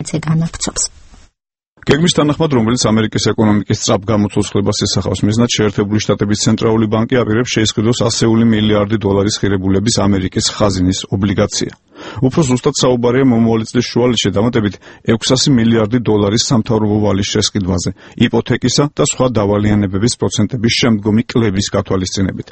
ისედაც განაგცობს. გეგმის თანახმად, რომელიც ამერიკის ეკონომიკის სწრაფ გამოცოცხლებას ისახავს, მიზნად შეერთებული შტატების ცენტრალური ბანკი აპირებს შეისყიდოს 100 მილიარდი დოლარის ღირებულების ამერიკის ხაზინის ობლიგაცია. უფრო ზუსტად საუბარია მომავალი წლის შუალედში დამატებით 600 მილიარდი დოლარის სამთავრობო ვალის შესყიდვაზე, იპოთეკისა და სხვა დავალიანებების პროცენტების შემდგომი კლების გათვალისწინებით.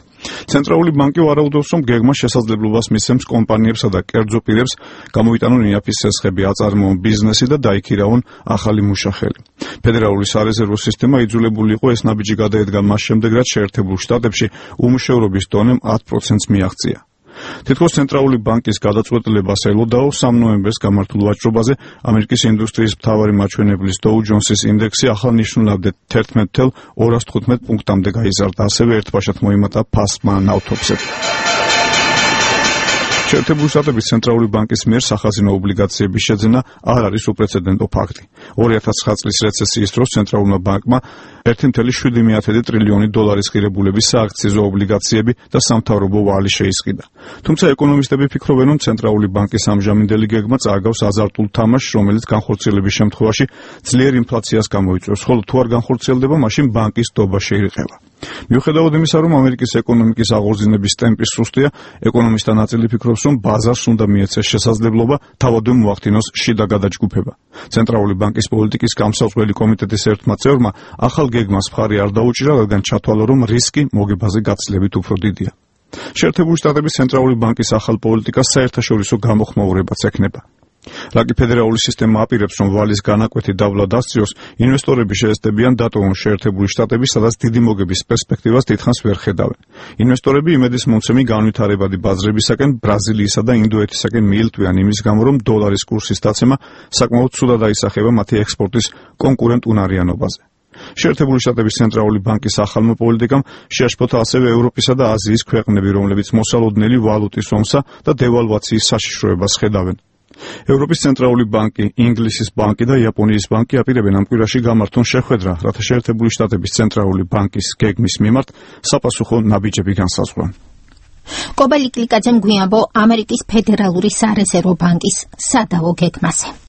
ცენტრალური ბანკი ვარაუდობს, რომ გეგმა შესაძლებლობას მისცემს კომპანიებსა და კერძო პირებს გამოიტანონ იაფის სესხები, აწარმოონ ბიზნესი და დაიქირავონ ახალი მუშახელი. ფედერალური სარეზერვო სისტემა იძულებული იყო ეს ნაბიჯი გადაედგა მას შემდეგ, რაც შეერთებულ შტატებში უმუშევრობის დონემ 10%-ს მიაღწია. თითქოს ცენტრალური ბანკის გადაწყვეტილებას ელოდაო 3 ნოემბერს გამართულ ვაჭრობაზე ამერიკის ინდუსტრიის მთავარი მაჩვენებლის Dow Jones-ის ინდექსი ახალნიშნულად 11,215 პუნქტამდე გაიზარდა, ასევე ერთბაშად მოიმატა ფასმა ნავთობზე. შეერთებული შტატების ცენტრალური ბანკის მიერ სახაზინო ობლიგაციების შეძენა არ არის უპრეცედენტო ფაქტი. 2009 წლის რეცესიის დროს ცენტრალურმა ბანკმა 1,7 ტრილიონი დოლარის ღირებულების სააქციზო ობლიგაციები და სამთავრობო ვალი შეისყიდა. თუმცა ეკონომისტები ფიქრობენ, რომ ცენტრალური ბანკის ამჟამინდელი გეგმა წააგავს აზარტულ თამაშს, რომელიც განხორციელების შემთხვევაში ძლიერ ინფლაციას გამოიწვევს, ხოლო თუ არ განხორციელდება, მაშინ ბანკის დობა შეირყევა. მიუხედავად იმისა, რომ ამერიკის ეკონომიკის აღორძინების ტემპი სუსტია, ეკონომისტთა ნაწილი ფიქრობს, რომ ბაზარს უნდა მიეცეს შესაძლებლობა თავადვე მოახდინოს შიდა გადაჯგუფება. ცენტრალური ბანკის პოლიტიკის გამსაუწყებელი კომიტეტის ერთმა წევრმა ახალ გეგმას მხარი არ დაუჭირა, რადგან ჩათვალა, რომ რისკი მოგებაზე გაცილებით უფრო დიდია. შეერთებული შტატების ცენტრალური ბანკის ახალ პოლიტიკას საერთაშორისო გამოხმაურებაც ექნება. რაკი ფედერალური სისტემა აპირებს, რომ ვალის განაკვეთი დაბლა დასწიოს, ინვესტორები შეეცდებიან დატოვონ შეერთებული შტატები, სადაც დიდი მოგების პერსპექტივას დიდხანს ვერ ხედავენ. ინვესტორები იმედის მომცემი განვითარებადი ბაზრებისაკენ ბრაზილიისა და ინდოეთისაკენ მიილტვიან იმის გამო, რომ დოლარის კურსის დაცემა საკმაოდ ცუდად აისახება მათი ექსპორტის კონკურენტ უნარიანობაზე. შეერთებული შტატების ცენტრალური ბანკის ახალმა პოლიტიკამ შეაშფოთა ასევე ევროპისა და აზიის ქვეყნები, რომლებიც მოსალოდნელი ვალუტის ომსა და დევალვაციის საშიშროებას ხედავენ. ევროპის ცენტრალური ბანკი, ინგლისის ბანკი და იაპონიის ბანკი აპირებენ ამ კვირაში გამართონ შეხვედრა, რათა შეერთებული შტატების ცენტრალური ბანკის გეგმის მიმართ საპასუხო ნაბიჯები განსაზღვრონ. კობელი კლიკაძემ გვიამბო ამერიკის ფედერალური სარეზერვო ბანკის სადავო გეგმაზე.